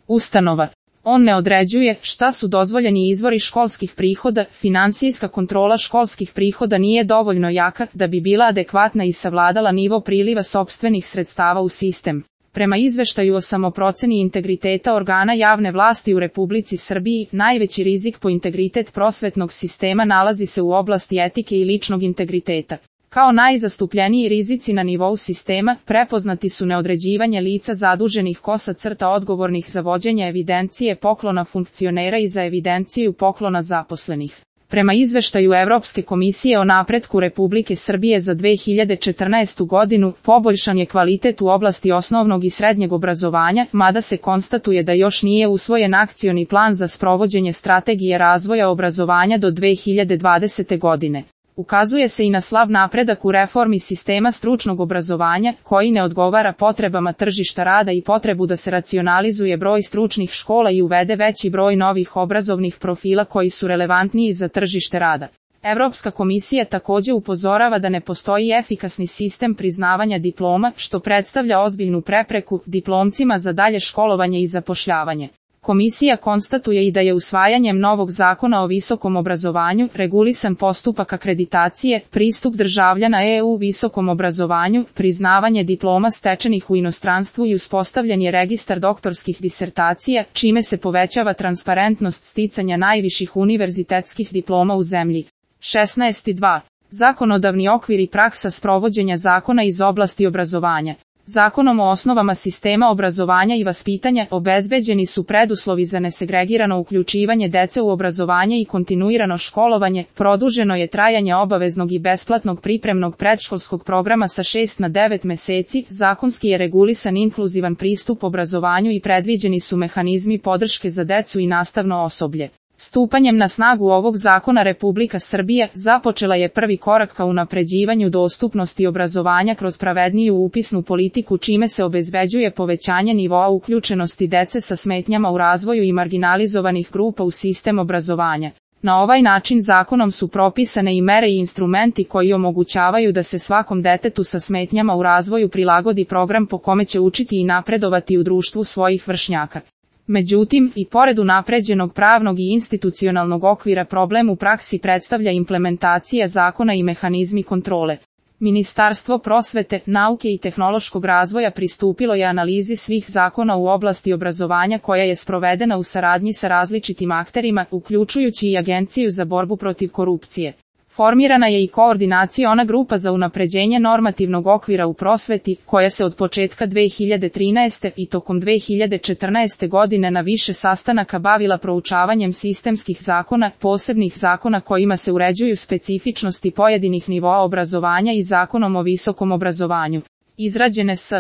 ustanova. On ne određuje šta su dozvoljeni izvori školskih prihoda, finansijska kontrola školskih prihoda nije dovoljno jaka da bi bila adekvatna i savladala nivo priliva sopstvenih sredstava u sistem. Prema izveštaju o samoproceni integriteta organa javne vlasti u Republici Srbiji, najveći rizik po integritet prosvetnog sistema nalazi se u oblasti etike i ličnog integriteta. Kao najzastupljeniji rizici na nivou sistema, prepoznati su neodređivanje lica zaduženih odgovornih za vođenje evidencije poklona funkcionera i za evidenciju poklona zaposlenih. Prema izveštaju Evropske komisije o napretku Republike Srbije za 2014. godinu, poboljšan je kvalitet u oblasti osnovnog i srednjeg obrazovanja, mada se konstatuje da još nije usvojen akcioni plan za sprovođenje strategije razvoja obrazovanja do 2020. godine. Ukazuje se i na slab napredak u reformi sistema stručnog obrazovanja, koji ne odgovara potrebama tržišta rada i potrebu da se racionalizuje broj stručnih škola i uvede veći broj novih obrazovnih profila koji su relevantniji za tržište rada. Evropska komisija također upozorava da ne postoji efikasni sistem priznavanja diploma, što predstavlja ozbiljnu prepreku diplomcima za dalje školovanje i zapošljavanje. Komisija konstatuje i da je usvajanjem novog zakona o visokom obrazovanju regulisan postupak akreditacije, pristup državljana EU visokom obrazovanju, priznavanje diploma stečenih u inostranstvu i uspostavljen je registar doktorskih disertacija, čime se povećava transparentnost sticanja najviših univerzitetskih diploma u zemlji. 16.2. Zakonodavni okvir i praksa sprovođenja zakona iz oblasti obrazovanja. Zakonom o osnovama sistema obrazovanja i vaspitanja obezbeđeni su preduslovi za nesegregirano uključivanje dece u obrazovanje i kontinuirano školovanje, produženo je trajanje obaveznog i besplatnog pripremnog predškolskog programa sa 6 na 9 meseci, zakonski je regulisan inkluzivan pristup obrazovanju i predviđeni su mehanizmi podrške za decu i nastavno osoblje. Stupanjem na snagu ovog zakona Republika Srbija započela je prvi korak ka unapređivanju dostupnosti obrazovanja kroz pravedniju upisnu politiku, čime se obezbeđuje povećanje nivoa uključenosti dece sa smetnjama u razvoju i marginalizovanih grupa u sistem obrazovanja. Na ovaj način zakonom su propisane i mere i instrumenti koji omogućavaju da se svakom detetu sa smetnjama u razvoju prilagodi program po kome će učiti i napredovati u društvu svojih vršnjaka. Međutim, i pored unapređenog pravnog i institucionalnog okvira, problem u praksi predstavlja implementacija zakona i mehanizmi kontrole. Ministarstvo prosvete, nauke i tehnološkog razvoja pristupilo je analizi svih zakona u oblasti obrazovanja koja je sprovedena u saradnji sa različitim akterima, uključujući i Agenciju za borbu protiv korupcije. Formirana je i koordinaciona grupa za unapređenje normativnog okvira u prosveti, koja se od početka 2013. i tokom 2014. godine na više sastanaka bavila proučavanjem sistemskih zakona, posebnih zakona kojima se uređuju specifičnosti pojedinih nivoa obrazovanja i zakonom o visokom obrazovanju. Izrađene s